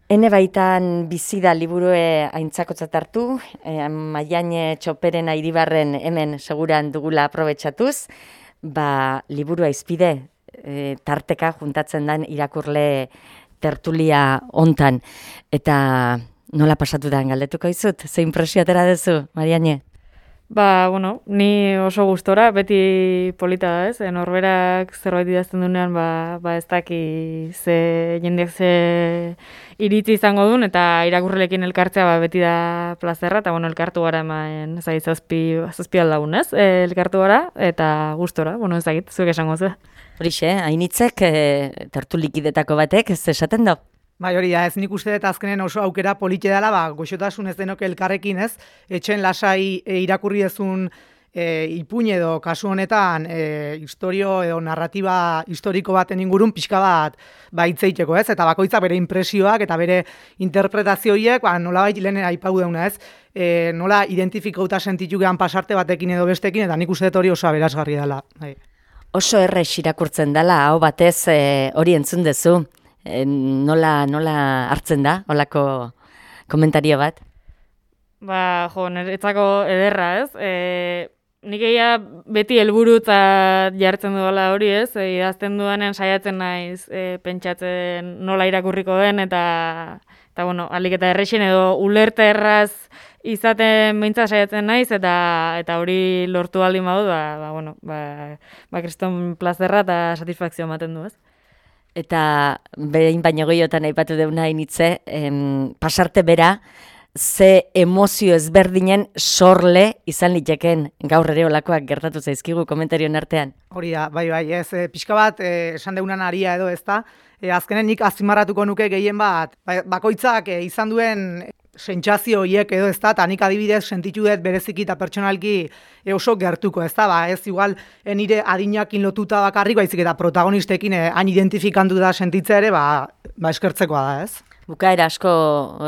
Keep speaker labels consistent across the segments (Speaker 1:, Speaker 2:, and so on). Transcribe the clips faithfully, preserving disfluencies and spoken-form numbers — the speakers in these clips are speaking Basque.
Speaker 1: Ene baitan bizi da liburue aintzakotzat hartu, eh, Maiane Txoperena Iribarren hemen seguran dugula aprobetxatuz, ba, liburua izpide, eh, tarteka juntatzen den irakurle tertulia hontan. Eta nola pasatu da galdetuko izut? Ze impresio atera duzu, Mariane?
Speaker 2: Ba, bueno, ni oso gustora, beti polita da, ez? Norberak zerbait idazten duenean, ba, ba ez daki ze jendeak ze iritzi izango duen, eta irakurrelekin elkartzea ba, beti da plazerra, eta bueno, elkartu gara hemen, zai, zazpi, zazpi aldagun, ez? E, elkartu gara, eta gustora, bueno, ez dakit, zuek esango ze.
Speaker 1: Horixe, hainitzek, e, tertulikidetako batek, ez esaten da?
Speaker 3: Bai, hori da, ez nik uste dut azkenen oso aukera polite dela, ba, goxotasun ez denok elkarrekin, ez? Etxen lasai e, irakurri ezun e, ipuin edo kasu honetan e, historio edo narratiba historiko baten ingurun pixka bat ba, hitzeiteko, ez? Eta bakoitza bere impresioak eta bere interpretazioiek, ba, nolabait lehen aipau deuna, ez? E, nola identifikauta sentitu gehan pasarte batekin edo bestekin, eta nik uste dut hori oso aberasgarri dela. Bai.
Speaker 1: Oso errex irakurtzen dela, hau batez e, hori entzun dezu. Nola, nola hartzen da, holako komentario bat?
Speaker 2: Ba, jo, niretzako ederra, ez? E, nik egia beti helburutzat jartzen duela hori, ez? E, idazten duanen saiatzen naiz e, pentsatzen nola irakurriko den, eta, eta bueno, alik eta errexen edo ulerte erraz izaten behintzat saiatzen naiz, eta eta hori lortu aldin badu, ba, ba, bueno, ba, ba kriston plazerra eta satisfakzio ematen du, ez?
Speaker 1: Eta behin baino gehiotan aipatu deuna hainitze, em, pasarte bera, ze emozio ezberdinen sorle izan liteken gaur ere olakoak gertatu zaizkigu komentarioen artean.
Speaker 3: Hori da, bai, bai, ez, e, pixka bat, e, esan deunan aria edo ez da, e, azkenen nik azpimarratuko nuke gehien bat, ba, bakoitzak e, izan duen sentsazio hiek edo ez da, eta nik adibidez sentitu dut bereziki eta pertsonalki e, oso gertuko, ez da, ba, ez igual e, nire adinakin lotuta bakarrik, baizik eta protagonistekin e, hain identifikandu da sentitze ere, ba, ba eskertzekoa da, ez?
Speaker 1: Bukaera asko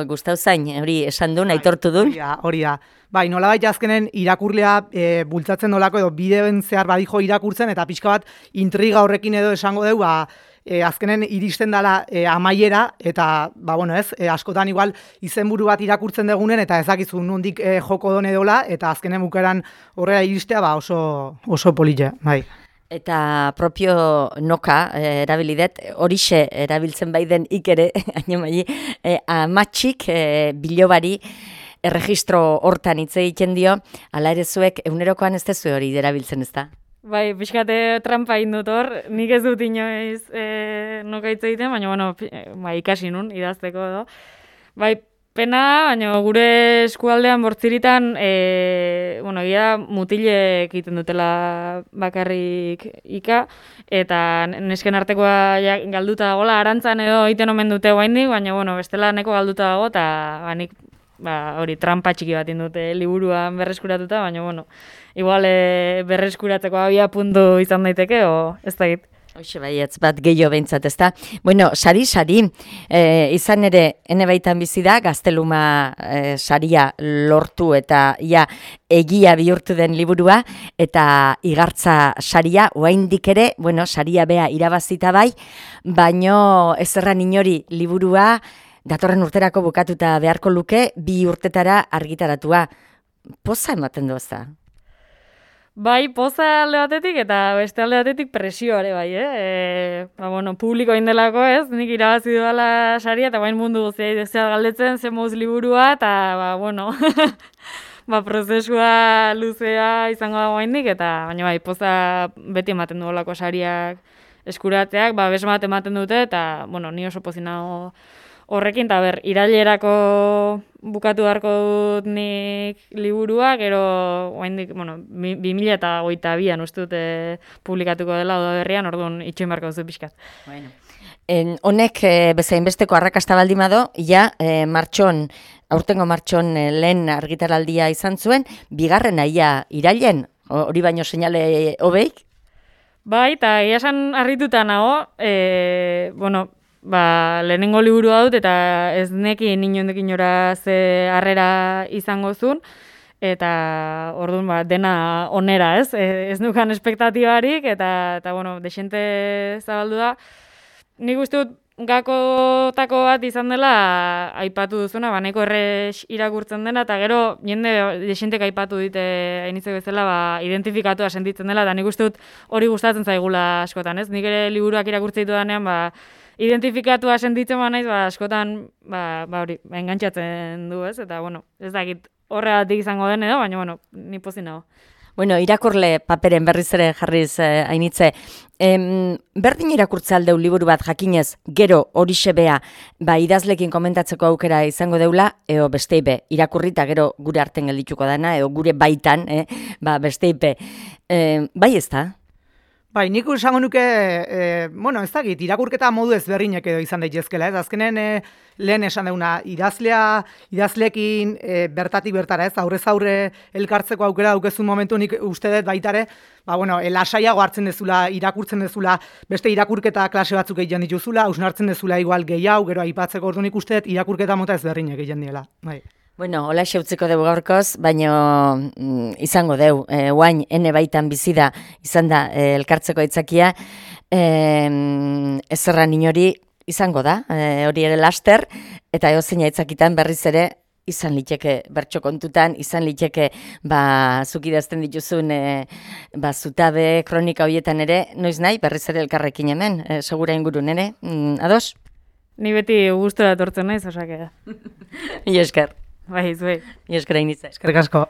Speaker 1: gustau zain, hori esan duen, aitortu duen.
Speaker 3: Hori da, hori da. Bai, nolabait azkenen irakurlea e, bultzatzen nolako edo bideoen zehar badijo irakurtzen, eta pixka bat intriga horrekin edo esango dugu, ba, e, azkenen iristen dela e, amaiera, eta, ba, bueno, ez, e, askotan igual izenburu bat irakurtzen degunen, eta ezakizu nondik e, joko done dola, eta azkenen bukaeran horrela iristea, ba, oso, oso polite, bai.
Speaker 1: Eta propio noka eh, erabilidet, horixe erabiltzen baiden ikere, ainemai, eh, amatxik eh, bilobari erregistro hortan hitz egiten dio, ala ere zuek egunerokoan ez dezu hori erabiltzen ez da?
Speaker 2: Bai, pixkate trampa indut hor, nik ez dut inoiz e, noka hitz egiten, baina bueno, ba, ikasi nun, idazteko edo. Bai, pena, baina gure eskualdean bortziritan, e, bueno, egia mutilek egiten dutela bakarrik ika, eta nesken artekoa ja, galduta dagoela, arantzan edo egiten omen dute guaindik, baina bueno, bestela neko galduta dago, eta ba, nik ba, hori trampa txiki bat indute liburuan berreskuratuta, baina bueno, igual e, berreskuratzeko abia puntu izan daiteke, o ez da git.
Speaker 1: Hoxe baietz bat gehiago behintzat, ez da? Bueno, sari-sari, e, izan ere, ene baitan bizi da, gazteluma e, saria lortu eta ia egia bihurtu den liburua, eta igartza saria, oraindik ere, bueno, saria bea irabazita bai, baino ez erran inori liburua, datorren urterako bukatuta beharko luke, bi urtetara argitaratua. Poza ematen du ez da?
Speaker 2: Bai, poza alde batetik eta beste alde batetik presioare bai, eh? E, ba, bueno, publiko indelako ez, nik irabazi dudala saria, eta bain mundu guztia idezea galdetzen, zen moz liburua, eta, ba, bueno, ba, prozesua luzea izango da guaindik, eta baina bai, poza beti ematen duolako sariak eskuratzeak, ba, besmat ematen dute, eta, bueno, ni oso pozinago horrekin, eta ber, irailerako bukatu beharko dut nik liburua, gero, oraindik, bueno, bi mila eta hogeita bian uste dute publikatuko dela oda berrian, orduan itxoin beharko duzu pixkat.
Speaker 1: Bueno. En, honek e, bezain besteko arrakasta baldin bado, ja, e, martxon, aurtengo martxon e, lehen argitaraldia izan zuen, bigarren aia irailen, hori baino seinale hobeik?
Speaker 2: Bai, eta egia esan harrituta nago, e, bueno, ba, lehenengo liburua dut, eta ez nekin inondik inora ze harrera izango zuen, eta orduan ba, dena onera, ez? E, ez nukan espektatibarik, eta, eta bueno, desente zabaldu da. Nik uste dut, gakotako bat izan dela aipatu duzuna, ba, nahiko errex irakurtzen dena, eta gero jende desentek aipatu dite hainitzek bezala, ba, identifikatua sentitzen dela, eta nik uste dut hori gustatzen zaigula askotan, ez? Nik ere liburuak irakurtzen ditu danean, ba, identifikatua sentitzen ba naiz, ba, askotan, ba, ba hori, ba, engantxatzen du, ez? Eta, bueno, ez dakit horregatik izango den edo, baina, bueno, ni pozik nago.
Speaker 1: Bueno, irakurle paperen berriz ere jarriz eh, hainitze. Em, berdin irakurtze aldeu liburu bat jakinez, gero horixe bea, ba, idazlekin komentatzeko aukera izango deula, eo besteipe, irakurrita gero gure arten geldituko dana, eo gure baitan, eh, ba, besteipe. Eh, bai ez da?
Speaker 3: Bai, nik esango nuke, e, bueno, ez dakit, irakurketa modu ezberdinek edo izan daitezkela, ez? Azkenen e, lehen esan deuna, idazlea, idazlekin e, bertatik bertara, ez? Aurrez aurre elkartzeko aukera daukezun momentu nik uste dut baitare, ba, bueno, e, lasaiago hartzen dezula, irakurtzen dezula, beste irakurketa klase batzuk egiten dituzula, hausnartzen dezula igual gehiago, gero aipatzeko ordu nik uste dut irakurketa mota ezberdinek egiten diela, bai.
Speaker 1: Bueno, hola xeutziko dugu gaurkoz, baino mm, izango deu, e, guain ene baitan bizi da, izan da e, elkartzeko aitzakia, e, ezerran inori izango da, e, hori ere laster, eta eozein aitzakitan berriz ere izan liteke bertso kontutan, izan liteke ba, zuk idazten dituzun e, ba, zutabe, kronika horietan ere, noiz nahi, berriz ere elkarrekin hemen, e, segura ingurun ere, mm, ados?
Speaker 2: Ni beti gustura etortzen naiz, osake da.
Speaker 1: Mila esker.
Speaker 2: Bai, zuei.
Speaker 1: Mila esker hainitze.
Speaker 3: Eskerrik asko.